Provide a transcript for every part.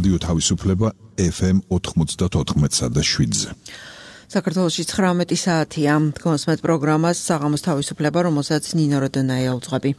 რადიო თავისუფლება FM 94.7-ზე. საქართველოში 19 საათია. გონსმეთ პროგრამას საღამოს თავისუფლება, რომელსაც ნინო როდონაია უძღვები.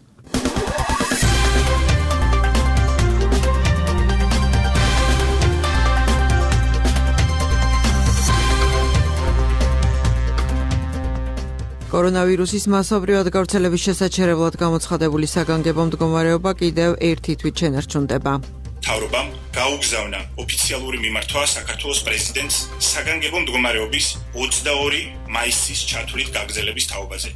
კორონავირუსის მასობრივად გავრცელების შესაჩერებლად გამოცხადებული საგანგებო მდგომარეობა კიდევ ერთი თვით შენარჩუნდება. მთავრობამ გაუგზავნა ოფიციალური მიმართვა საქართველოს პრეზიდენტს საგანგებო მდგომარეობის 22 მაისის ჩათვლით გაგრძელების თაობაზე.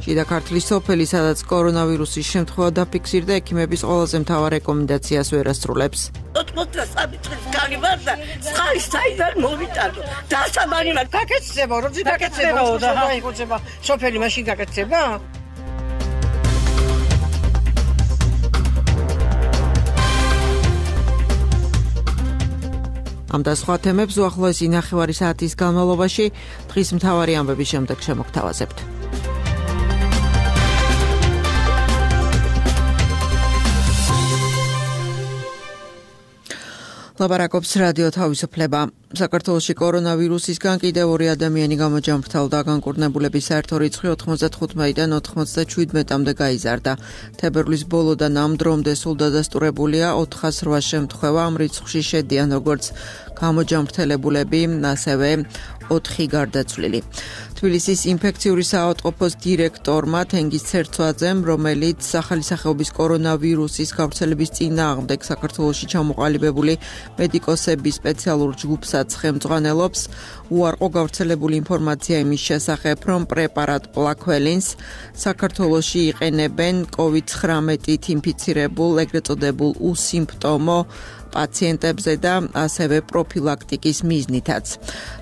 შიდა ქართლის სოფელი, სადაც კორონავირუსის შემთხვევა დაფიქსირდა, ექიმების ყველაზე მთავარ რეკომენდაციას ვერ ასრულებს. 83 წლის კარი ვარ და წყალი საიდან მოვიტანო. დასაბანი მაგ გაკეთდება, როდი გაკეთდება და აიღოება სოფელი მაშინ გაკეთდება? ამ და სხვა თემებს უახლოესი ნახევარი საათის განმავლობაში დღის მთავარი ამბების შემდეგ შემოგთავაზებთ. ლაპარაკობს რადიო თავისუფლება. საქართველოში კორონავირუსისგან კიდევ 2 ადამიანი გამოჯამრთელდა. განკურნებულების საერთო რიცხვი 95-დან 97-მდე გაიზარდა. თებერვლის ბოლოდან ამ დრომდე სულ დადასტურებულია 408 შემთხვევა. ამ რიცხვში შედიან როგორც გამოჯამრთელებულები, ასევე 4 გარდაცვლილი. თბილისის ინფექციური საავადმყოფოს დირექტორმა თენგიზ ცერცვაძემ, რომელიც ახალი სახეობის კორონავირუსის გავრცელების წინააღმდეგ საქართველოში ჩამოყალიბებული მედიკოსების სპეციალურ ჯგუფსაც ხელმძღვანელობს, უარყო გავრცელებული ინფორმაცია იმის შესახებ, რომ პრეპარატ პლაქველინს საქართველოში იყენებენ COVID-19-ით ინფიცირებულ, ეგრეთ წოდებულ უსიმპტომო პაციენტებზე და ასევე პროფილაქტიკის მიზნითაც.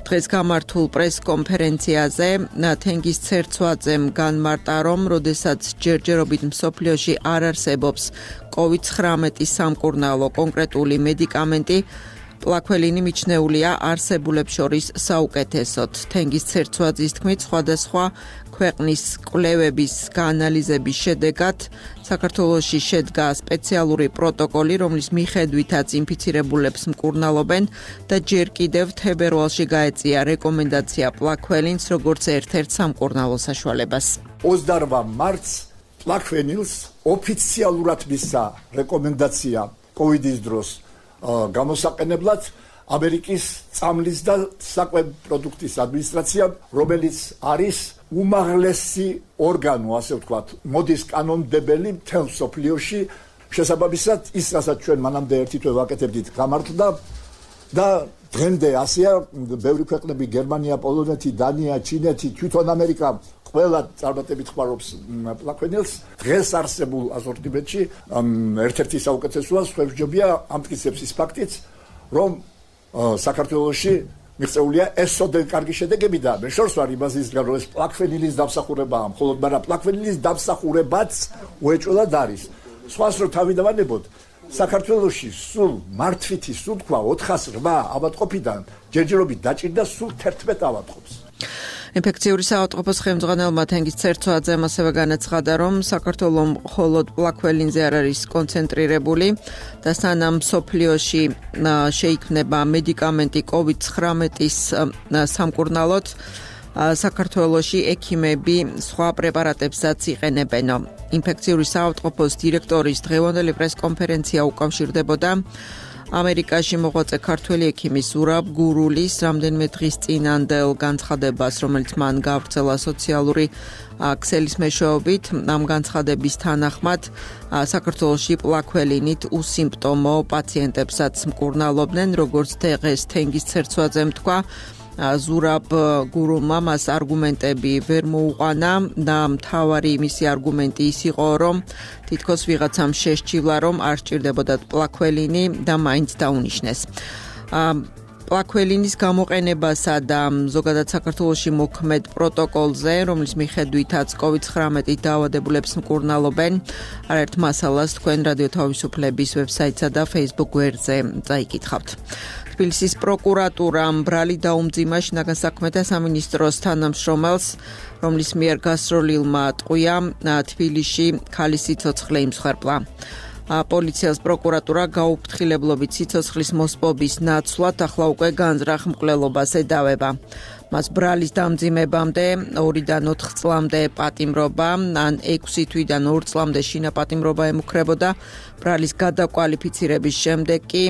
დღეს გამართულ პრესკონფერენციაზე თენგიზ ცერცვაძემ განმარტა, რომ როდესაც ჯერჯერობით მსოფლიოში არ არსებობს COVID-19 სამკურნალო კონკრეტული მედიკამენტი, პლაქველინი მიჩნეულია არსებულებს შორის საუკეთესოდ. თენგიზ ცერცვაძის თქმით, სხვადასხვა ქვეყნის კვლევების გაანალიზების შედეგად საქართველოში შედგა სპეციალური პროტოკოლი, რომლის მიხედვითაც ინფიცირებულებს მკურნალობენ და ჯერ კიდევ თებერვალში გაეწია რეკომენდაცია პლაქველინს როგორც ერთ-ერთ სამკურნალო საშუალებას. 28 მარტს პლაქვენილს ოფიციალურად მისცა რეკომენდაცია კოვიდის დროს გამოსაყენებლად ამერიკის წამლის და საკვები პროდუქტის ადმინისტრაციამ, რომელიც არის უმაღლესი ორგანო, ასე ვთქვათ, მოდის კანონმდებელი მთელ მსოფლიოში. შესაბამისად, ის რასაც ჩვენ მანამდე ერთი თვე ვაკეთებდით, გამართლდა და დღემდე ასეა, ბევრი ქვეყნები, გერმანია, პოლონეთი, დანია, ჩინეთი, თვითონ ამერიკა ყველა წარმატებით ხმარობს პლაქვენილს. დღეს არსებულ ასორტიმენტში ერთ-ერთი საუკეთესოა, სხვებჯობია ამტკიცებს ის ფაქტიც, რომ საქართველოში მიღწეულია ესოდენ კარგი შედეგები და მე შორს ვარ იმაზისგან, რომ ეს პლაქვენილის დამსახურებაა, მხოლოდ მაგრამ პლაქვენილის დამსახურებაც უეჭველად არის. სხვას რო თავიდანებოდ საქართველოში სულ მართვითი სუნთქვა 408 ავადმყოფიდან ჯერჯერობით დაჭირდა სულ 11 ავადმყოფს. ინფექციური საავადმყოფოს ხელმძღვანელმა თენგიზ ცერცვაძემ ასევე განაცხადა, რომ საქართველო მხოლოდ პლაქველინზე არ არის კონცენტრირებული და სანამ მსოფლიოში შეიქმნება მედიკამენტი COVID-19-ის სამკურნალოდ, საქართველოში ექიმები სხვა პრეპარატებსაც იყენებენ. ინფექციური საავადმყოფოს დირექტორის დღევანდელი პრესკონფერენცია უკავშირდებოდა ამერიკაში მოღვაწე ქართველი ექიმის ზურაბ გურულის რამდენიმე დღის წინანდელ განცხადებას, რომელიც მან გავრცელა სოციალური ქსელის მეშვეობით. ამ განცხადების თანახმად საქართველოში პლაქველინით უსიმპტომო პაციენტებსაც მკურნალობდნენ, როგორც დღეს თენგიზ ცერცვაძემ თქვა. ზურაბ გურულმა მას არგუმენტები ვერ მოუყანა და მთავარი მისი არგუმენტი ის იყო, რომ თითქოს ვიღაცამ შესჭილა, რომ არ სჭირდებოდა პლაქველინი და მაინც დაუნიშნეს. პლაქველინის გამოყენებასა და ზოგადად საქართველოში მოქმედ პროტოკოლზე, რომლის მიხედვითაც COVID-19 დაავადებულებს მკურნალობენ, არაერთ მასალას თქვენ რადიო თავისუფლების ვებსაიტსა და Facebook გვერდზე წაიკითხავთ. თბილისის პროკურატურამ ბრალი დაუმძიმა შინაგან საქმეთა სამინისტროს თანამშრომელს, რომლის მიერ გასროლილმა ტყვია თბილისში ქალის სიცოცხლე იმსხვერპლა. პოლიციას პროკურატურა გაუფრთხილებლობით სიცოცხლის მოსპობის ნაცვლად ახლა უკვე განზრახ მკვლელობას ედავება. მას ბრალის დამძიმებამდე 2-დან 4 წლამდე პატიმრობა, ან 6 თვიდან 2 წლამდე შინაპატიმრობა ემუქრებოდა. ბრალის გადაკვალიფიცირების შემდეგ კი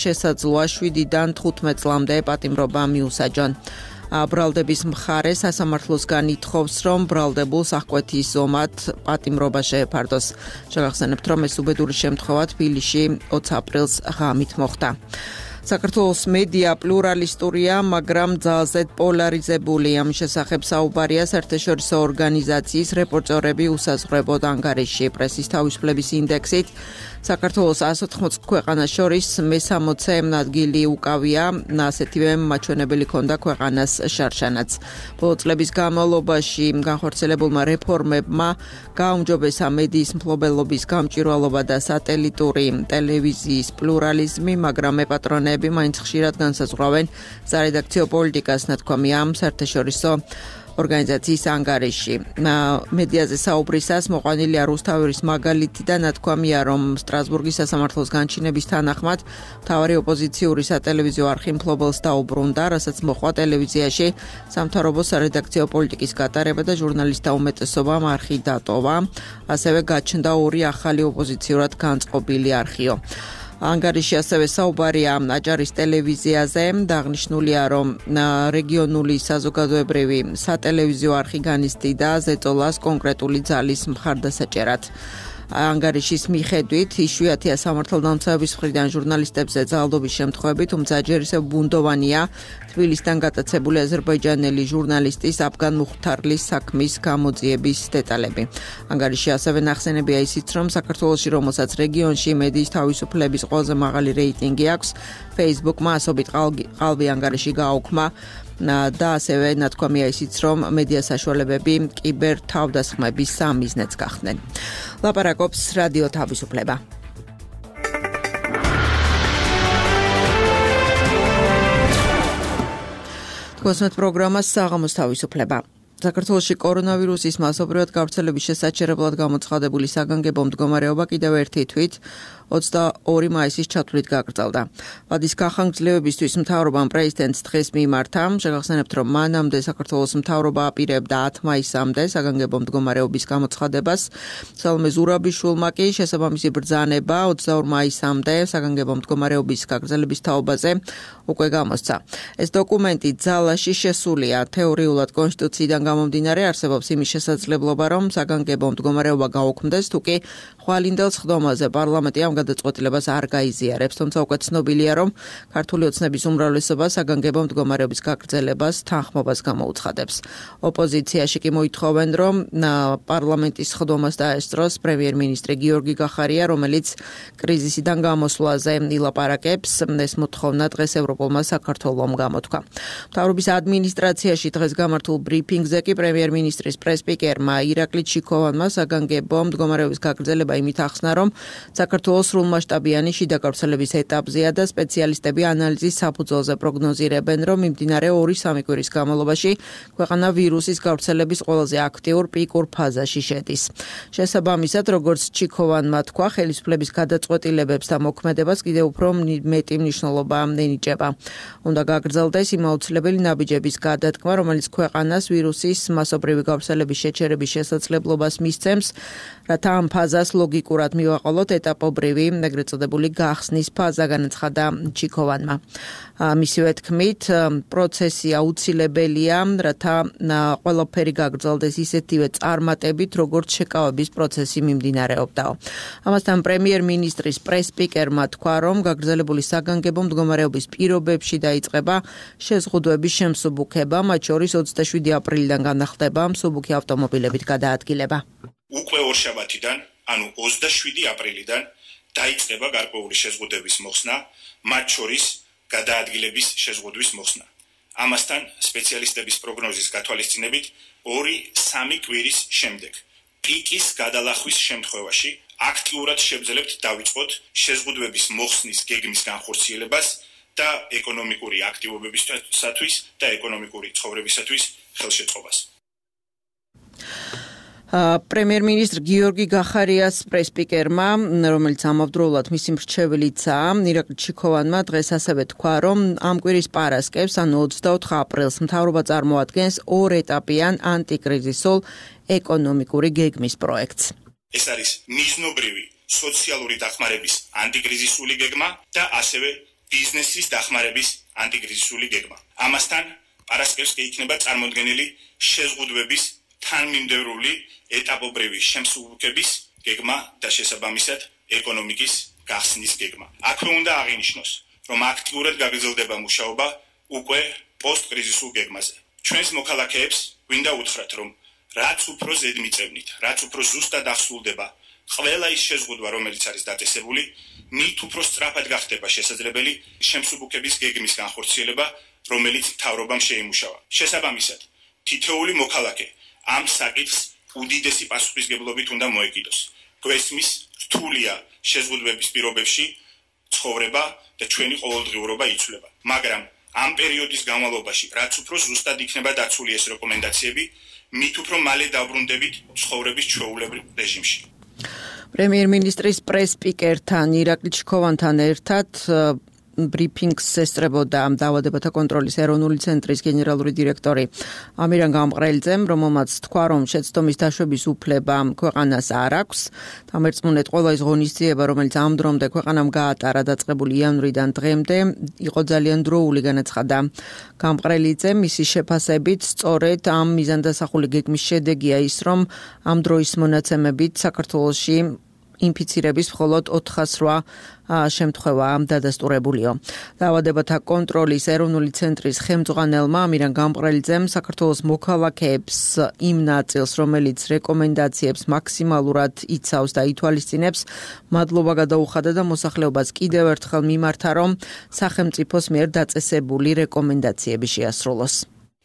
შესაძლოა 7-დან 15 წლამდე პატიმრობა მიუსაჯონ. ბრალდების მხარე სასამართლოსგან ითხოვს, რომ ბრალდებულს აღკვეთის ომად პატიმრობა შეეფარდოს. შეგახსენებთ, რომ ეს უბედური შემთხვევა თბილისში 20 აპრილს ღამით მოხდა. საქართველოს მედია პლურალისტურია, მაგრამ ძალზედ პოლარიზებული. ამ შესახებ საუბარია საერთაშორისო ორგანიზაციის რეპორტერები უსაზღვრებოდ ანგარიშში. პრესის თავისუფლების ინდექსით საქართველოს 180 ქვეყანას შორის მე-60 ადგილი უკავია, ასეთივე მაჩვენებელი ჰქონდა ქვეყანას შარშანაც. ბოლო წლების განმავლობაში განხორციელებულმა რეფორმებმა გააუმჯობესა მედიის მფლობელობის გამჭვირვალობა და სატელიტური ტელევიზიის პლურალიზმი, მაგრამ მეპატრონეები მაინც ხშირად განსაზღვრავენ სარედაქციო პოლიტიკას, ნათქვამია ამ საერთაშორისო ორგანიზაციის ანგარიში. მედიაზე საუბრისას მოყვანილია რუსთაველის მაგალითი და ნათქვამია, რომ სტრასბურგის სასამართლოს განჩინების თანახმად მთავარი ოპოზიციური სატელევიზიო არხი მფლობელს დაუბრუნდა, რასაც მოჰყვა ტელევიზიაში სამთავრობო სარედაქციო პოლიტიკის გატარება და ჟურნალისტთა უმეტესობამ არხი დატოვა. ასევე გაჩნდა 2 ახალი ოპოზიციურად განწყობილი არხიო. ანგარიში ასევე საუბარია აჭარის ტელევიზიაზე, აღნიშნულია, რომ რეგიონული საზოგადოებრივი სატელევიზიო არხი განიცდიდა ზეწოლას კონკრეტული ძალის მხარდასაჭერად. ანგარიშის მიხედვით იშვიათია სამართალდამცავების მხრიდან ჟურნალისტებზე ძალადობის შემთხვევები, თუმცა ჯერ ისევ ბუნდოვანია თბილისიდან გატაცებული აზერბაიჯანელი ჟურნალისტის აფგან მუხთარლის საქმის გამოძიების დეტალები. ანგარიში ასევე ნახსენებია ისიც, რომ საქართველოში, რომელსაც რეგიონში მედიის თავისუფლების ყველაზე მაღალი რეიტინგი აქვს, Facebook-მა ასობით ყალბი ანგარიში გააუქმა და ასევე ნათქვამია ისიც, რომ მედია საშუალებები კიბერ თავდასხმების სამიზნეც გახდნენ. ლაპარაკობს რადიო თავისუფლება. თქვენს პროგრამას საღამოს თავისუფლება. საქართველოში კორონავირუსის მასობრივად გავრცელების შესაჩერებლად გამოცხადებული საგანგებო მდგომარეობა კიდევ ერთი თვით 22 მაისის ჩათვლით გაგრძელდა. ვადის გახანგრძლივებისთვის მთავრობამ პრეზიდენტს დღეს მიმართა. შეგახსენებთ, რომ მანამდე საქართველოს მთავრობა აპირებდა 10 მაისამდე საგანგებო მდგომარეობის გამოცხადებას. სალომე ზურაბიშვილმა კი შესაბამისი ბრძანება 22 მაისამდე საგანგებო მდგომარეობის გაგრძელების თაობაზე უკვე გამოსცა. ეს დოკუმენტი ძალაში შესულია. თეორიულად კონსტიტუციიდან გამომდინარე არსებობს იმის შესაძლებლობა, რომ საგანგებო მდგომარეობა გაუქმდეს, თუკი ხვალინდელ სხდომაზე პარლამენტი ამ გადაწყვეტილებას არ გაიზიარებს, თუმცა უკვე ცნობილია, რომ ქართული ოცნების უმრავლესობა საგანგებო მდგომარეობის გაგრძელებას თანხმობას გამოუცხადებს. ოპოზიციაში კი მოითხოვენ, რომ პარლამენტის სხდომას დაესწროს პრემიერ-მინისტრი გიორგი გახარია, რომელიც კრიზისიდან გამოსვლაზე ილაპარაკებს. ეს მოთხოვნა დღეს ევროპულმა საქართველომ გამოთქვა. მთავრობის ადმინისტრაციაში დღეს გამართულ ბრიფინგზე კი პრემიერ-მინისტრის პრესპიკერმა ირაკლი ჩიქოვანმა საგანგებო მდგომარეობის გაგრძელება იმით ახსნა, რომ საქართველოს სრულმასშტაბიანი შიდა გავრცელების ეტაპზეა და სპეციალისტები ანალიზის საფუძველზე პროგნოზირებენ, რომ მიმდინარე 2-3 კვირის განმავლობაში ქვეყანა ვირუსის გავრცელების ყველაზე აქტიურ პიკურ ფაზაში შედის. შესაბამისად, როგორც ჩიქოვანმა თქვა, ხელისუფლების გადაწყვეტილებებს და მოქმედებას კიდევ უფრო მეტი მნიშვნელობა ენიჭება. უნდა გაგრძელდეს იმ აუცილებელი ნაბიჯების გადადგმა, რომელიც ქვეყანას ვირუსის მასობრივი გავრცელების შეჩერების შესაძლებლობას მისცემს, რათა ამ ფაზას ლოგიკურად მივაყოლოთ ეტაპობრივი, ეგრეთ წოდებული გახსნის ფაზა, განაცხადა ჩიქოვანმა. მისივე თქმით, პროცესი აუცილებელია, რათა ყველაფერი გაგრძელდეს ისეთივე წარმატებით, როგორც შეკავების პროცესი მიმდინარეობდაო. ამასთან პრემიერ-მინისტრის პრესპიკერმა თქვა, რომ გაგრძელებული საგანგებო მდგომარეობის პირობებში დაიწყება შეზღუდვების შემსუბუქება, მათ შორის 27 აპრილიდან განახდება მსუბუქი ავტომობილებით გადაადგილება. უკვე ორშაბათიდან, ანუ 27 აპრილიდან დაიწყება გარკვეული შეზღუდვების მოხსნა, მათ შორის გადაადგილების შეზღუდვის მოხსნა. ამასთან სპეციალისტების პროგნოზის გათვალისწინებით 2-3 კვირის შემდეგ პიკის გადალახვის შემთხვევაში აქტიურად შევძლებთ დავიწყოთ შეზღუდვების მოხსნის გეგმის განხორციელებას და ეკონომიკური აქტივობებისათვის და ეკონომიკური ცხოვრებისათვის ხელშეწყობას. პრემიერ-მინისტრ გიორგი გახარიას პრესპიკერმა, რომელიც ამავდროულად მისი მრჩეველიცაა, ირაკლი ჩიქოვანმა დღეს ასევე თქვა, რომ ამ კვირის პარასკევს, ანუ 24 აპრილს, მთავრობა წარმოადგენს 2 ეტაპიან ანტიკრიზისულ ეკონომიკური გეგმის პროექტს. ეს არის მიზნობრივი სოციალური დახმარების ანტიკრიზისული გეგმა და ასევე ბიზნესის დახმარების ანტიკრიზისული გეგმა. ამასთან პარასკევს იქნება წარმოდგენილი შეზღუდვების თანმიმდევრული ეტაპობრივი შემსუბუქების გეგმა და შესაბამისად ეკონომიკის გახსნის გეგმა. აქვე უნდა აღინიშნოს, რომ აქტიურად გაგრძელდება მუშაობა უკვე პოსტკრიზისულ გეგმაზე. ჩვენს მოქალაქეებს გვინდა უთხრათ, რომ რაც უფრო ზედმიწევნით, რაც უფრო ზუსტად აღსრულდება ყველა ის შეზღუდვა, რომელიც არის დაწესებული, მით უფრო სწრაფად გახდება შესაძლებელი შემსუბუქების გეგმის განხორციელება, რომელიც მთავრობამ შეიმუშავა. შესაბამისად, თითოეული მოქალაქე ამ საკითხს უდიდესი პასუხისმგებლობით უნდა მოეკიდოს. გვესმის რთულია შეზღუდვების პირობებში ცხოვრება და ჩვენი ყოველდღიურობა იცვლება. მაგრამ ამ პერიოდის განმავლობაში, რაც უფრო ზუსტად იქნება დაცული ეს რეკომენდაციები, მით უფრო მალე დავბრუნდებით ცხოვრების ჩვეულებრივ რეჟიმში. პრემიერ-მინისტრის პრესპიკერთან ირაკლი ჩიქოვანთან ერთად ბრიფინგს ესწრებოდა დაავადებათა კონტროლის ეროვნული ცენტრის გენერალური დირექტორი ამირან გამყრელიძემ, რომელმაც თქვა, რომ შეცდომის დაშვების უფლება ქვეყანას არ აქვს. დამერწმუნეთ, ყველა ის ღონისძიება, რომელიც ამ დრომდე ქვეყანამ გაატარა დაწყებული იანვრიდან დღემდე, იყო ძალიან დროული, განაცხადა გამყრელიძემ. მისი შეფასებით, სწორედ ამ მიზანდასახული გეგმის შედეგია ის, რომ ამ დროის მონაცემებით საქართველოში ინფიცირების მხოლოდ 408 შემთხვევაა დადასტურებულიო. დაავადებათა კონტროლის ეროვნული ცენტრის ხელმძღვანელმა ამირან გამყრელიძემ საქართველოს მოქალაქეებს იმ ნაწილს, რომელიც რეკომენდაციებს მაქსიმალურად იცავს და ითვალისწინებს, მადლობა გადაუხადა და მოსახლეობას კიდევ ერთხელ მიმართა, რომ სახელმწიფოს მიერ დაწესებული რეკომენდაციები შეასრულოს.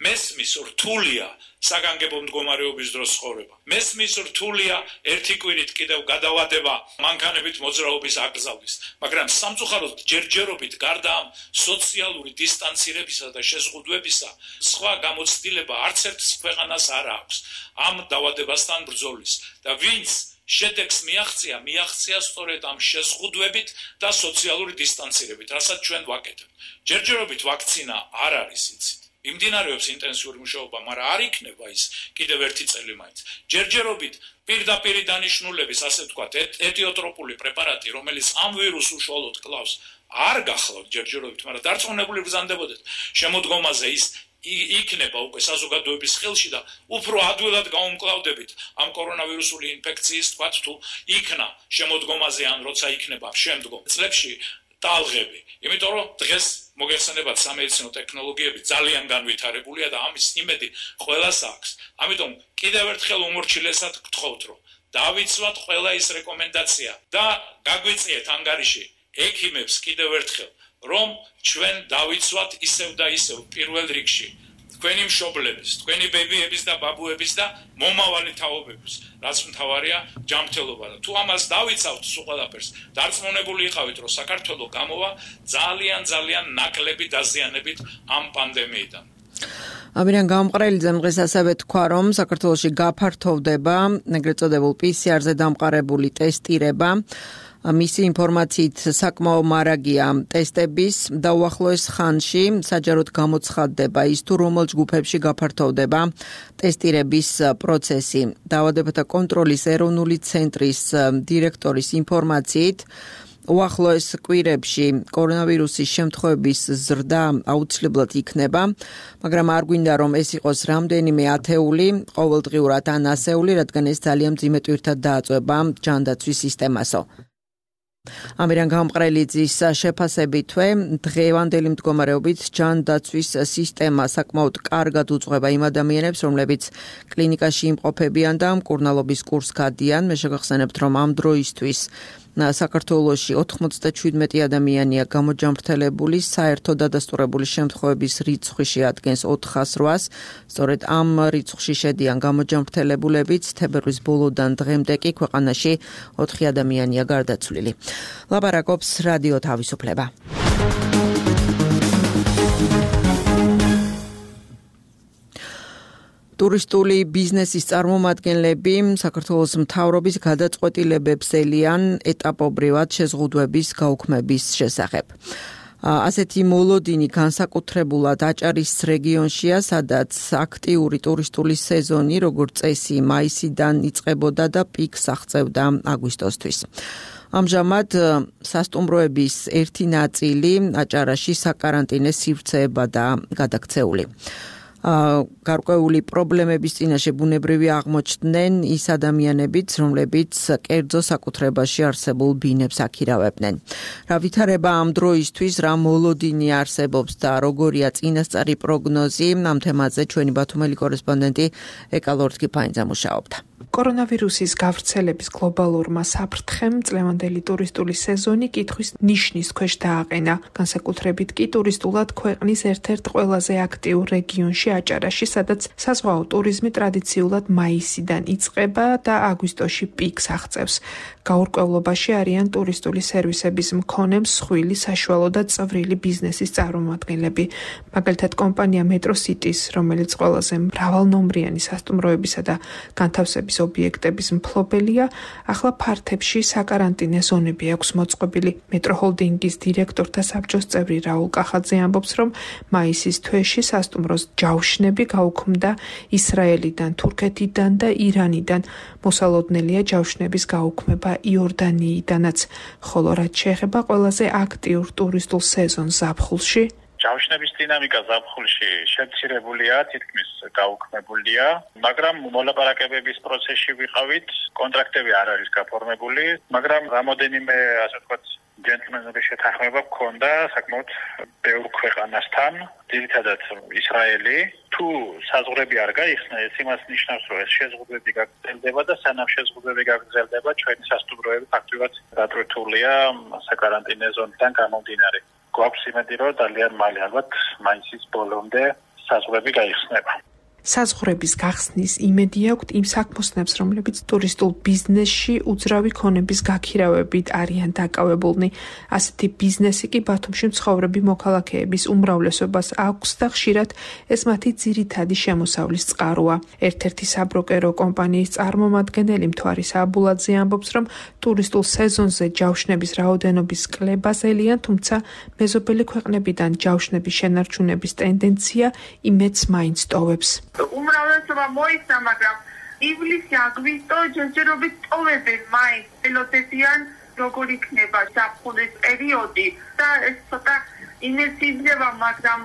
მესმის რთულია საგანგებო მდგომარეობის დროს ცხოვრება. მესმის რთულია ერთი კვირით კიდევ გადავადება მანქანებით მოძრაობის აკრძალვის, მაგრამ სამწუხაროდ ჯერჯერობით გარდა ამ სოციალური დისტანცირებისა და შეზღუდვებისა, სხვა გამოცდილება არც ერთ ქვეყანას არ აქვს ამ დაავადებასთან ბრძოლის და ვინც შედეგს მიაღწია სწორედ ამ შეზღუდვებით და სოციალური დისტანცირებით, რასაც ჩვენ ვაკეთებთ. ჯერჯერობით ვაქცინა არ არის იცით. იმდინარეობს ინტენსიური მუშაობა, მაგრამ არ იქნება ის კიდევ ერთი წელი მაინც. ჯერჯერობით პირდაპირი დანიშნულების, ასე ვთქვათ, ეთიოტროპული პრეპარატი, რომელიც ამ ვირუსს უშუალოდ კლავს, არ გახლავთ ჯერჯერობით, მაგრამ დარწმუნებული ვზანდებოდეთ, შემოდგომაზე ის იქნება უკვე საზოგადოების ხელში და უფრო ადვილად გაუმკლავდებით ამ კორონავირუსული ინფექციის, თქვათ, თუ იქნა შემოდგომაზე ან როცა იქნება შემდგომ წლებში ტალღები. იმიტომ რომ დღეს მოგეხსენებათ სამედიცინო ტექნოლოგიები ძალიან განვითარებულია და ამის იმედი ყველას აქვს. ამიტომ კიდევ ერთხელ უმორჩილესად გთხოვთ, რომ დავიცვათ ყველა ის რეკომენდაცია და გაგვიწიეთ ანგარიში ექიმებს კიდევ ერთხელ, რომ ჩვენ დავიცვათ ისევ და ისევ პირველ რიგში თქვენი მშობლების, თქვენი ბებიების და ბაბუების და მომავალი თაობების, რაც მთავარია ჯანმრთელობა. თუ ამას დავიცავთ სულ ყველაფერს, დარწმუნებული იყავით, რომ საქართველო გამოვა ძალიან ნაკლები დაზიანებით ამ პანდემიიდან. ამირან გამყრელიძემ დღეს ასევე თქვა, რომ საქართველოში გაფართოვდება ეგრეთ წოდებულ PCR-ზე დამყარებული ტესტირება. მისი ინფორმაციით საკმაო მარაგია ტესტების და უახლოეს ხანში საჯაროდ გამოცხადდება ის, თუ რომელ ჯგუფებში გაფართოვდება ტესტირების პროცესი. დაავადებათა კონტროლის ეროვნული ცენტრის დირექტორის ინფორმაციით, უახლოეს კვირებში კორონავირუსის შემთხვევების ზრდა აუცილებლად იქნება, მაგრამ არ გვინდა, რომ ეს იყოს რამდენიმე ათეული, ყოველდღიურად ან ასეული, რადგან ეს ძალიან მძიმე ტვირთად დააწვება ჯანდაცვის სისტემასო. ამირან გამყრელიძის შეფასებითვე, დღევანდელი მდგომარეობით ჯანდაცვის სისტემა საკმაოდ კარგად უძღვება იმ ადამიანებს, რომლებიც კლინიკაში იმყოფებიან და მკურნალობის კურსს გადიან. მე შეგახსენებთ, რომ ამ დროისთვის საქართველოში 97 ადამიანია გამოჯამრთელებული, საერთო დადასტურებული შემთხვევების რიცხვი შეადგენს 408-ს. სწორედ ამ რიცხვში შედიან გამოჯამრთელებულებიც. თებერვლის ბოლოდან დღემდე კი ქვეყანაში 4 ადამიანია გარდაცვლილი. ლაპარაკობს რადიო თავისუფლება. ტურისტული ბიზნესის წარმომადგენლები საქართველოს მთავრობის გადაწყვეტილებებს ელიან ეტაპობრივად შეზღუდვების გაუქმების შესახებ. ასეთი მოლოდინი განსაკუთრებულად აჭარის რეგიონშია, სადაც აქტიური ტურისტული სეზონი, როგორც წესი, მაისიდან იწყებოდა და პიკს აღწევდა აგვისტოსთვის. ამჟამად სასტუმროების ერთი ნაწილი აჭარაში საკარანტინე სივრცეებად და გადაქცეული. გარკვეული პრობლემების წინაშე ბუნებრივი აღმოჩნდნენ ის ადამიანებიც, რომლებიც კერძო საკუთრებაში არსებულ ბინებს აქირავებდნენ. რა ვითარება ამ დროისთვის, რა მოლოდინი არსებობს და როგორია წინასწარი პროგნოზი, ამ თემაზე ჩვენი ბათუმელი კორესპონდენტი ეკა ლორთქიფაინძე მუშაობდა. კორონავირუსის გავრცელების გლობალურმა საფრთხემ წლევანდელი ტურისტული სეზონი კითხვის ნიშნის ქვეშ დააყენა. განსაკუთრებით კი ტურისტულად ქვეყნის ერთ-ერთ ყველაზე აქტიურ რეგიონში აჭარაში, სადაც საზღვაო ტურიზმი ტრადიციულად მაისიდან იწყება და აგვისტოში პიკს აღწევს. გაურკვევლობაში არიან ტურისტული სერვისების მქონე მსხვილი, საშუალო და წვრილი ბიზნესის წარმომადგენლები. მაგალითად კომპანია მეტროსიტის, რომელიც ყველაზე მრავალნომრიანი სასტუმროებისა და განთავსების ობიექტების მფლობელია, ახლა ფართებში საკარანტინე ზონები აქვს მოწყობილი. მეტროჰოლდინგის დირექტორთა საბჭოს წევრი რაულ კახაძე ამბობს, რომ მაისის თვეში სასტუმროს ჯავშნები გაუქმდა ისრაელიდან, თურქეთიდან და ირანიდან. მოსალოდნელია ჯავშნების გაუქმება იორდანიიდანაც, ხოლო რაც შეეხება ყველაზე აქტიურ ტურისტულ სეზონს ზაფხულში, ჯავშნების დინამიკა ზაფხულში შემცირებულია, თითქმის გაუქმებულია, მაგრამ მოლაპარაკებების პროცესში ვიყავით, კონტრაქტები არ არის გაფორმებული, მაგრამ რამოდენიმე, ასე ვთქვათ, ჯენტლმენების შეთანხმება გქონდა საკმაოდ ბევრ ქვეყანასთან, ძირითადად ისრაელი. თუ საზღვრები არ გაიხსნა, ეს იმას ნიშნავს, რომ ეს შეზღუდვები გაგრძელდება და სანამ შეზღუდვები გაგრძელდება, ჩვენი სასტუმროები ფაქტობრივად დატვირთულია საკარანტინე ზონიდან გამომდინარე. გვაქვს იმედი, რომ ძალიან მალე ალბათ მაისის ბოლომდე საზღვრები გაიხსნება. საზღვრების გახსნის იმედი აქვთ იმ საქმოსნებს, რომლებიც ტურისტულ ბიზნესში უძრავი ქონების გაქირავებით არიან დაკავებულნი. ასეთი ბიზნესი კი ბათუმში მცხოვრები მოქალაქეების უმრავლესობას აქვს და ხშირად ეს მათი ძირითადი შემოსავლის წყაროა. ერთ-ერთი საბროკერო კომპანიის წარმომადგენელი მთვარის აბულაძე ამბობს, რომ ტურისტულ სეზონზე ჯავშნების რაოდენობის კლებას ელიან, თუმცა მეზობელი ქვეყნებიდან ჯავშნების შენარჩუნების ტენდენცია იმედს მაინც ტოვებს. უმრავლესობა მოიცვა, მაგრამ ივლისი, აგვისტო ჯერჯერობით ტოვებენ მაინც, ელოდებიან როგორ იქნება ზაფხულის პერიოდი და ეს ცოტა ინერციზდება, მაგრამ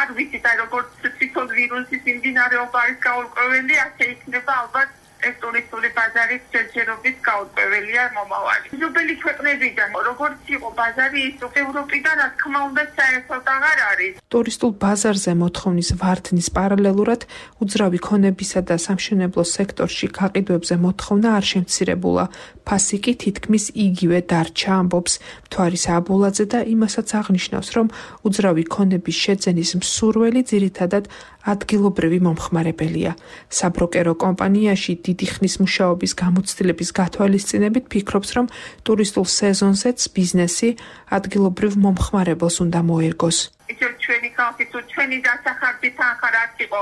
არ ვიცით, როგორც თვითონ ვირუსის მიმდინარეობა არის გაურკვეველი, ასე იქნება ალბათ ეს ტურისტული ბაზარი ჯერჯერობით გაურკვეველია მომავალი. მეზობელი ქვეყნებიდან, როგორც იყო ბაზარი, ის ევროპიდან, რა თქმა უნდა, საერთოდ აღარ არის. ტურისტულ ბაზარზე მოთხოვნის ვარდნის პარალელურად უძრავი ქონებისა და სამშენებლო სექტორში გაყიდვებზე მოთხოვნა არ შემცირებულა. ფასი კი თითქმის იგივე დარჩა, ამბობს მთვარის აბულაძე და იმასაც აღნიშნავს, რომ უძრავი ქონების შეძენის მსურველი ძირითადად ადგილობრივი მომხმარებელია. საბროკერო კომპანიაში დიდი ხნის მუშაობის გამოცდილების გათვალისწინებით ფიქრობს, რომ ტურისტულ სეზონზეც ბიზნესი ადგილობრივ მომხმარებელს უნდა მოერგოს. ისევ ჩვენი ხალხი თუ ჩვენი დასახარჯი თანხა რაც იყო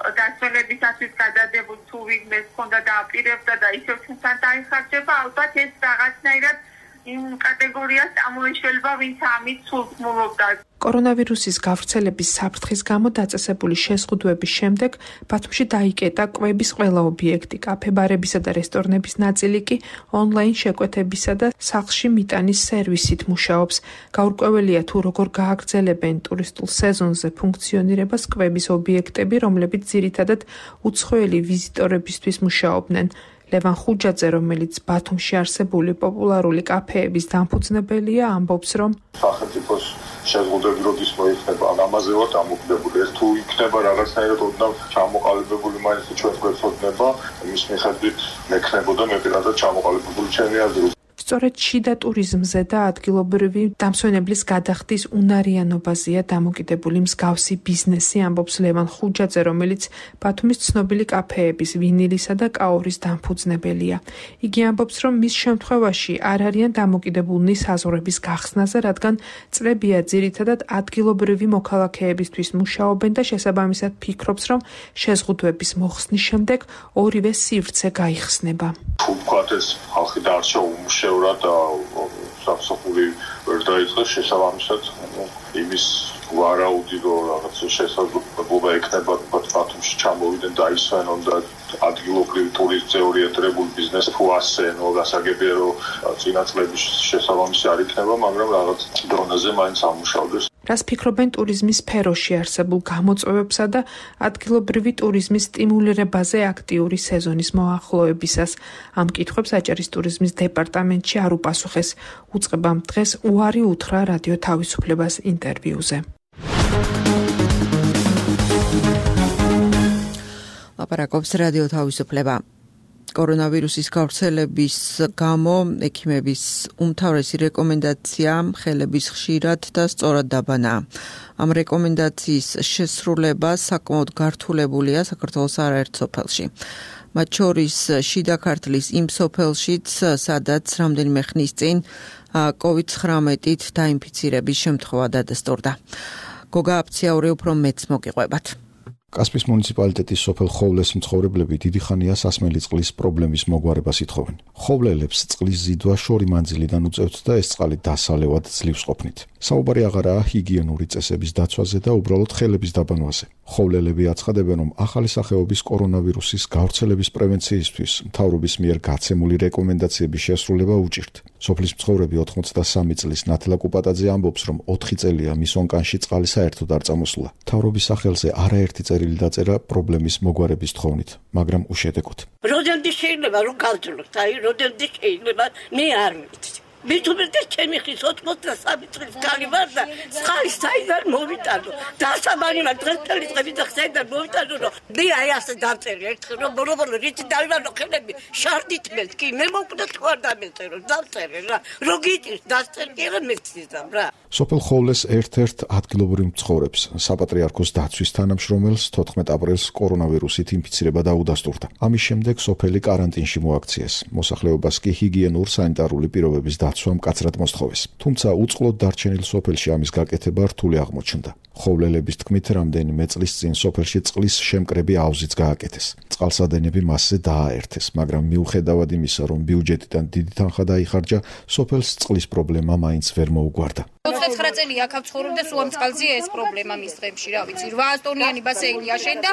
დასვენებისათვის გადადებულ თუ ვინმეს ჰქონდა და აპირებდა და ისევ ჩვენთან დაიხარჯება, ალბათ ეს რაღაცნაირად იმ კატეგორიას ამოიშველება, ვინც ამით სულთმულობდა. კორონავირუსის გავრცელების საფრთხის გამო დაწესებული შეზღუდვების შემდეგ ბათუმში დაიკეტა კვების ყველა ობიექტი, კაფე-ბარებისა და რესტორნების ნაწილი კი ონლაინ შეკვეთებისა და სახლში მიტანის სერვისით მუშაობს. გაურკვეველია თუ როგორ გააგრძელებენ ტურისტულ სეზონზე ფუნქციონირებას კვების ობიექტები, რომლებიც ძირითადად უცხოელი ვიზიტორებისთვის მუშაობდნენ. ლევან ხუჯაძე, რომელიც ბათუმში არსებული პოპულარული კაფეების დამფუძნებელია, ამბობს, რომ სახელმწიფოს შეზღუდვები როდის მოიხსნება, ამაზე ვართ ამოქმედებული. ეს თუ იქნება რაღაცნაირად ოდნავ ჩამოყალიბებული, მაინც ჩვენ გვეცოდნება, იმის მიხედვით მექნებოდა მე პირადად ჩამოყალიბებული ჩემი აზრით. სწორედ შიდა ტურიზმზე და ადგილობრივი დამსვენებლის გადახდის უნარიანობაზეა დამოკიდებული მსგავსი ბიზნესი, ამბობს ლევან ხუჯაძე, რომელიც ბათუმის ცნობილი კაფეების, ვინილისა და კაორის დამფუძნებელია. იგი ამბობს, რომ მის შემთხვევაში არ არიან დამოკიდებულნი საზღვრების გახსნაზე, რადგან წლებია ძირითადად ადგილობრივი მოქალაქეებისთვის მუშაობენ და შესაბამისად ფიქრობს, რომ შეზღუდვების მოხსნის შემდეგ ორივე სივრცე გაიხსნება. თუ ვთქვათ, ეს ხალხი დარჩა უმუშევრად და სამსახური ვერ დაიწყეს, შესაბამისად იმის ვარაუდი რომ რაღაც შესაძლებლობა ექნება ბათუმში ჩამოვიდნენ და ისვენონ და ადგილობრივი ტურისტ ზეორიენტირებული ბიზნესი თუ ასენო გასაგებია რომ წინა წლების შესაბამისი არ იქნება, მაგრამ რაღაც დონეზე მაინც ამუშავდეს. რას ფიქრობენ ტურიზმის სფეროში არსებულ გამოწვევებსა და ადგილობრივი ტურიზმის სტიმულირებაზე აქტიური სეზონის მოახლოებისას? ამ კითხვებს აჭარის ტურიზმის დეპარტამენტში არ უპასუხეს. უწყებამ დღეს უარი უთხრა რადიო თავისუფლებას ინტერვიუზე. ლაპარაკობს რადიო თავისუფლება. კორონავირუსის გავრცელების გამო ექიმების უმთავრესი რეკომენდაცია ხელების ხშირად და სწორად დაბანაა. ამ რეკომენდაციის შესრულება საკმაოდ გართულებულია საქართველოს არაერთ სოფელში. მათ შორის შიდა ქართლის იმ სოფელშიც, სადაც რამდენიმე ხნის წინ COVID-19-ით დაინფიცირების შემთხვევა დადასტურდა. გოგა აფციაური უფრო მეც მოგიყვებათ. კასპის მუნიციპალიტეტის სოფელ ხოვლეს მცხოვრებლები დიდი ხანია სასმელი წყლის პრობლემის მოგვარებას ითხოვენ. ხოვლელებს წყლის ზიდვა შორი მანძილიდან უწევთ და ეს წყალი დასალევად ძლივს ყოფნით. საუბარი აღარაა ჰიგიენური წესების დაცვაზე და უბრალოდ ხელების დაბანვაზე. ხოვლელები აცხადებენ, რომ ახალი სახეობის კორონავირუსის გავრცელების პრევენციისთვის მთავრობის მიერ გაცემული რეკომენდაციების შესრულება უჭირთ. სოფლის მცხოვრები 83 წლის ნათლა კუპატაძე ამბობს, რომ 4 წელია მის ონკანში წყალი საერთოდ არ წამოსულა. მთავრობის სახელზე არაერთი წერილი დაწერა პრობლემის მოგვარების თხოვნით, მაგრამ უშედეგოდ. როდენდი შეიძლება რომ გავძლოთ, როდენდი შეიძლება, მე არ ვიცი. მithumetes ჩემი ხის 83 წლის კალი ვარ და წყალი საიდან მოვიტანო. დასაბანი მაგ დღესდღეობით დღეები და საიდან მოვიტანო, რომ მე აი ასე დავწერე ერთხელ რომ ბოლო რითი დავივანო ხელები შარდით მეს კი მე მოკვდა თუ არ დამეწერო, დავწერე რა. რო გიტირს დასწერე რა მეცდამ რა. სოფელ ხოვლეს ერთ-ერთ ადგილობრივ მცხოვრებს საპატრიარქოს დაცვის თანამშრომელს 14 აპრილს კორონავირუსით ინფიცირება დაუდასტურდა. ამის შემდეგ სოფელი კარანტინში მოაქციეს. მოსახლეობას კი ჰიგიენურ სანიტარული პირობების დაცვა მკაცრად მოსთხოვეს. თუმცა უწყლოდ დარჩენილ სოფელში ამის გაკეთება რთული აღმოჩნდა. ხოვლელების თქმით, რამდენიმე წლის წინ სოფელში წყლის შემკრები აუზიც გააკეთეს. წყალსადენები მასზე დააერთეს, მაგრამ მიუხედავად იმისა, რომ ბიუჯეტიდან დიდი თანხა დაიხარჯა, სოფელს წყლის პრობლემა მაინც ვერ მოუგვარდა. 29 წელი აქ ვცხოვრობ და სულ ამ წყალზეა ეს პრობლემა მის დღეებში, რა ვიცი, 8 ტონიანი ბასეინი აშენდა,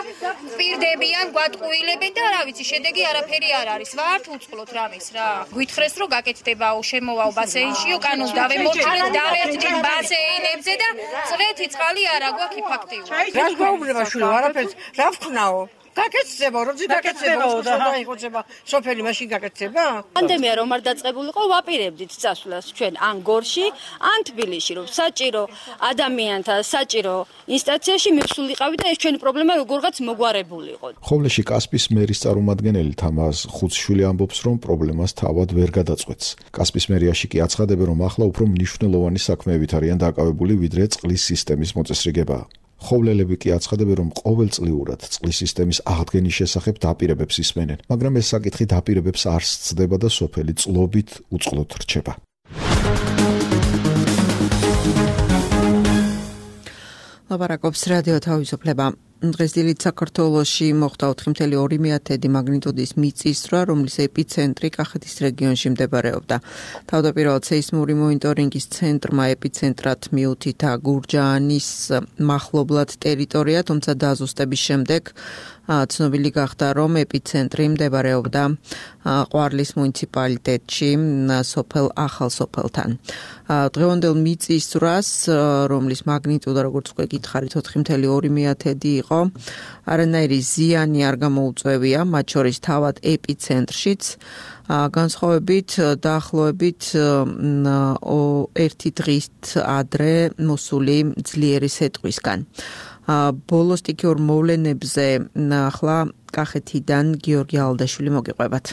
პირდებიან, გვატყუილებენ და რა ვიცი, შედეგი არაფერი არ არის. ვართ უწყლოთ რამის რა. გვითხრეს რომ გაკეთდებაო, შემოვაო ბასეინშიო, კანონს დავემორჩილეთ, დავერთდით ბასეინებზე და წლეთი წყალი არა გვაქვს ფაქტიურად. რა გვაუბრება შვილო, არაფერს, რა ვქნაო? გაკეთდება, როდი გაკეთდება, დაიხოცება, სოფელი მაშინ გაკეთდება? პანდემია რომ არ დაწყებულიყო, ვაპირებდით წასვლას ჩვენ ან გორში, ან თბილისში, რომ საჭირო ადამიანთა, საჭირო ინსტანციაში მივსულიყავი და ეს ჩვენი პრობლემა როგორღაც მოგვარებულიყო. ხოვლეში კასპის მერის წარმომადგენელი თამაზ ხუცშვილი ამბობს, რომ პრობლემას თავად ვერ გადაწყვეტს. კასპის მერიაში კი აცხადებენ, რომ ახლა უფრო მნიშვნელოვანი საქმეებით არიან დაკავებული, ვიდრე წყლის სისტემის მოწესრიგებაა. ხოვლელები კი აცხადებენ, რომ ყოველწლიურად წყლის სისტემის აღდგენის შესახებ დაპირებებს ისმენენ, მაგრამ ეს საკითხი დაპირებებს არ სცდება და სოფელი წლობით უწყლოდ რჩება. ლაპარაკობს რადიო თავისუფლება. დღეს დილით საქართველოში მოხდა 4.2 მაგნიტუდის მიწისძვრა, რომლის ეპიცენტრი კახეთის რეგიონში მდებარეობდა. თავდაპირველად სეისმური მონიტორინგის ცენტრმა ეპიცენტრად მიუთითა გურჯაანის მახლობლად ტერიტორია, თუმცა დაზუსტების შემდეგ ცნობილი გახდა, რომ ეპიცენტრი მდებარეობდა ყვარლის მუნიციპალიტეტში, სოფელ ახალსოფელთან. დღევანდელ მიწისძვრას, რომლის მაგნიტუდა, როგორც უკვე გითხარით, 4.2 იყო, არანაირი ზიანი არ გამოუწვევია, მათ შორის თავად ეპიცენტრშიც, განსხვავებით დაახლოებით 1 დღით ადრე მოსული ძლიერი სეტყვისგან. ბოლო სტიქიურ მოვლენებზე ახლა კახეთიდან გიორგი ალდაშვილი მოგიყვებათ.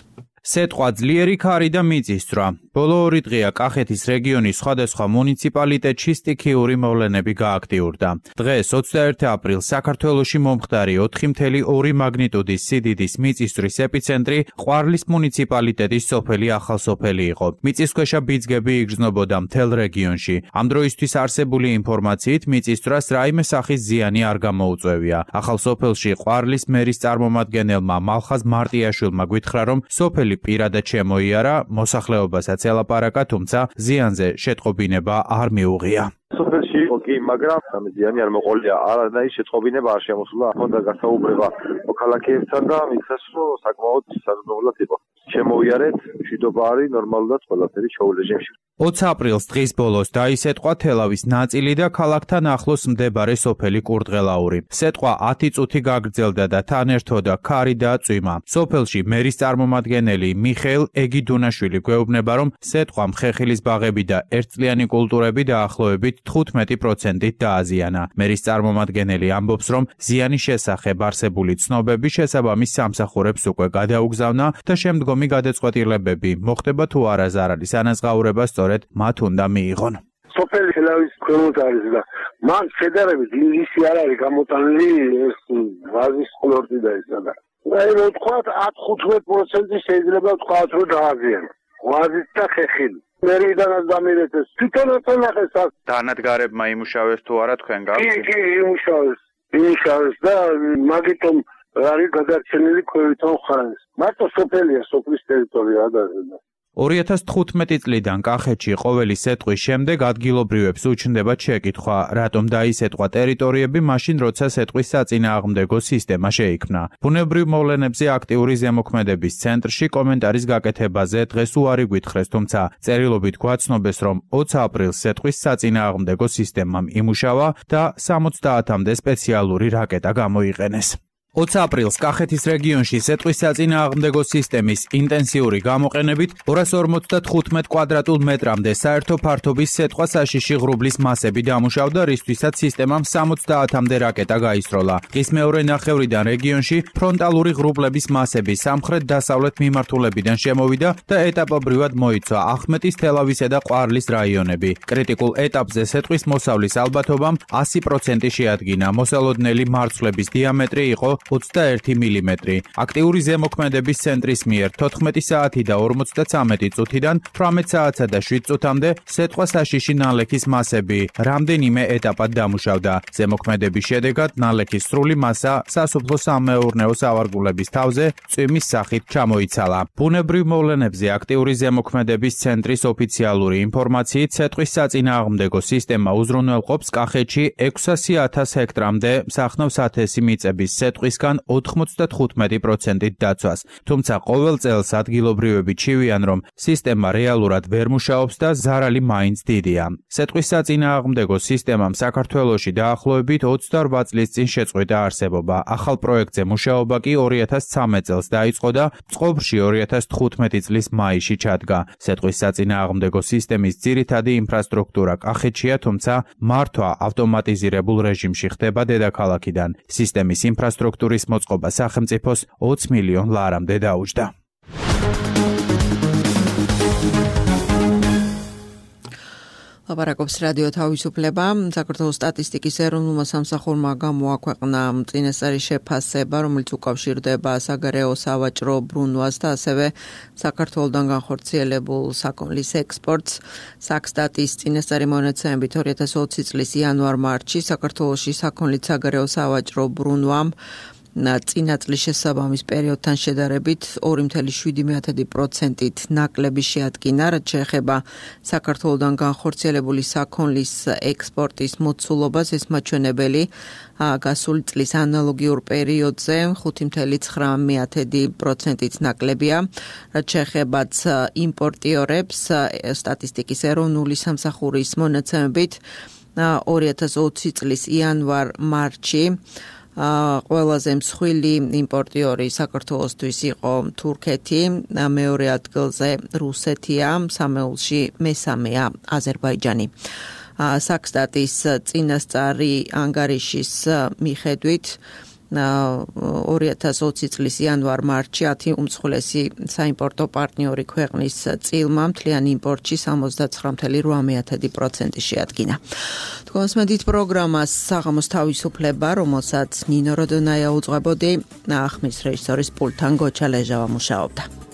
სეტყვა ძლიერი ქარი და მიწისძვრა. ბოლო 2 დღეა კახეთის რეგიონის სხვადასხვა მუნიციპალიტეტში სტიქიური მოვლენები გააქტიურდა. დღეს 21 აპრილს საქართველოში მომხდარი 4.2 მაგნიტუდის სიდიდის მიწისძვრის ეპიცენტრი ყვარლის მუნიციპალიტეტის სოფელი ახალსოფელი იყო. მიწისქვეშა ბიძგები იგრძნობოდა მთელ რეგიონში. ამ დროისთვის არსებული ინფორმაციით მიწისძვრას რაიმე სახის ზიანი არ გამოუწვევია. ახალსოფელში ყვარლის მერის წარმომადგენელმა მალხაზ მარტიაშვილმა გვითხრა, რომ სოფელი პირადად შემოიარა, მოსახლეობასაც ელაპარაკა, თუმცა ზიანზე შეტყობინება არ მიუღია. სოფელში იყო კი, მაგრამ ზიანი არ მოყოლია, არანაირი შეტყობინება არ შემოსულა. ჰქონდა გასაუბრება მოქალაქეებთან და მითხრეს, რომ საკმაოდ საზრდოულად იყო. შემოიარეთ, მშვიდობა არის ნორმალურად ყველაფერი შოუ რეჟიმში. 20 აპრილს დღის ბოლოს დაისეტყვა თელავის ნაწილი და ქალაქთან ახლოს მდებარე სოფელი კურდღელაური. სეტყვა 10 წუთი გაგრძელდა და თან ერთოდა ქარი და წვიმა. სოფელში მერის წარმომადგენელი მიხეილ ეგიდუნაშვილი გვეუბნება, რომ სეტყვამ ხეხილის ბაღები და ერთწლიანი კულტურები დაახლოებით 15%-ით დააზიანა. მერის წარმომადგენელი ამბობს, რომ ზიანის შესახებ არსებული ცნობები შესაბამის სამსახურებს უკვე გადაუგზავნა და შემდგომი გადაწყვეტილებები მოხდება თუ არა ზარალის ანაზღაურება სწორედ მათ უნდა მიიღონ. სოფელი თელავის ქვემოთ არის და მან შედარებით ინგლისი არ არის გამოტანილი ეს ვაზის ყლორტი და ესა და რა ვთქვათ 10-15% შეიძლება ვთქვათ რომ დააზიანა. ვაზით და ხეხილი. მერიდანაც დამირეთეს. თვითონაც ნახეს აქ. დანადგარებმა იმუშავეს თუ არა თქვენ გაქვთ? კი, იმუშავეს და მაგიტომ არის გადარჩენილი ქვევითონ ხარეს. მარტო სოფელია, სოფლის ტერიტორია ადარდება. 2015 წლიდან კახეთში ყოველი სეტყვის შემდეგ ადგილობრივებს უჩნდება შეკითხვა, რატომ დაისეტყვა ტერიტორიები მაშინ, როცა სეტყვის საწინააღმდეგო სისტემა შეიქმნა. ბუნებრივ მოვლენებზე აქტიური ზემოქმედების ცენტრში კომენტარის გაკეთებაზე დღეს უარი გვითხრეს, თუმცა წერილობით გვაცნობეს, რომ 20 აპრილს სეტყვის საწინააღმდეგო სისტემამ იმუშავა და 70-მდე სპეციალური რაკეტა გამოიყენეს. 20 აპრილს კახეთის რეგიონში სეტყვის საწინააღმდეგო სისტემის ინტენსიური გამოყენებით 255 კვადრატულ მეტრამდე საერთო ფართობის სეტყვა საშიში ღრუბლის მასები დამუშავდა, რისთვისაც სისტემამ 70-მდე რაკეტა გაისროლა. დღის მეორე ნახევრიდან რეგიონში ფრონტალური ღრუბლების მასები სამხრეთ-დასავლეთ მიმართულებიდან შემოვიდა და ეტაპობრივად მოიცვა ახმეტის, თელავისა და ყვარლის რაიონები. კრიტიკულ ეტაპზე სეტყვის მოსავლის ალბათობამ 100% შეადგინა. მოსალოდნელი მარცვლების დიამეტრი იყო 21 მმ. აქტიური ზემოქმედების ცენტრის მიერ 14 საათი და 53 წუთიდან 18 საათსა და 7 წუთამდე სეტყვა საშიში ნალექის მასები რამდენიმე ეტაპად დამუშავდა. ზემოქმედების შედეგად ნალექის სრული მასა სასოფლო-სამეურნეო სავარგულების თავზე წვიმის სახით ჩამოიცალა. ბუნებრივ მოვლენებზე აქტიური ზემოქმედების ცენტრის ოფიციალური ინფორმაციით სეტყვის საწინააღმდეგო სისტემა უზრუნველყოფს კახეთში 600,000 ჰექტრამდე მსახნავს ათესი მიწების სეტყვის 95%-ით დაცვას. თუმცა ყოველ წელს ადგილობრივები ჩივიან, რომ სისტემა რეალურად ვერ მუშაობს და ზარალი მაინც დიდია. სეტყვის საწინააღმდეგო სისტემამ საქართველოში დაახლოებით 28 წლის წინ შეწყვიტა არსებობა. ახალ პროექტზე მუშაობა კი 2013 წელს დაიწყო და წყობრში 2015 წლის მაისში ჩადგა. სეტყვის საწინააღმდეგო სისტემის ძირითადი ინფრასტრუქტურა კახეთშია, თუმცა მართვა ავტომატიზირებულ რეჟიმში ხდება დედაქალაქიდან. სისტემის ინფრასტრუქტურის მოწყობა სახელმწიფოს 20 მილიონ ლარამდე დაუჯდა. ლაპარაკობს რადიო თავისუფლება. საქართველოს სტატისტიკის ეროვნულმა სამსახურმა გამოაქვეყნა წინასწარი შეფასება, რომელიც უკავშირდება საგარეო სავაჭრო ბრუნვას და ასევე საქართველოდან განხორციელებულ საქონლის ექსპორტს. საქსტატის წინასწარი მონაცემებით 2020 წლის იანვარ-მარტში საქართველოში საქონლის საგარეო სავაჭრო ბრუნვამ წინა წლის შესაბამის პერიოდთან შედარებით 2.7%-ით ნაკლები შეადგინა, რაც შეეხება საქართველოდან განხორციელებული საქონლის ექსპორტის მოცულობას. ეს მაჩვენებელი გასული წლის ანალოგიურ პერიოდზე 5.9%-ით ნაკლებია, რაც შეეხება იმპორტიორებს. სტატისტიკის ეროვნული სამსახურის მონაცემებით 2020 წლის იანვარ-მარტში ყველაზე მსხვილი იმპორტიორი საქართველოსთვის იყო თურქეთი, მეორე ადგილზე რუსეთია, სამეულში მესამეა აზერბაიჯანი. საქსტატის წინასწარი ანგარიშის მიხედვით 2020 წლის იანვარ-მარტში 10 უმსხვილესი საიმპორტო პარტნიორი ქვეყნის წილმა მთლიან იმპორტში 79.8% შეადგინა. თქვენსმედით პროგრამას საღამოს თავისუფლება, რომელსაც ნინო როდონაია უძღვებოდი, ახმის რეჟისორის პულტთან გოჩა ლეჟავა მუშაობდა.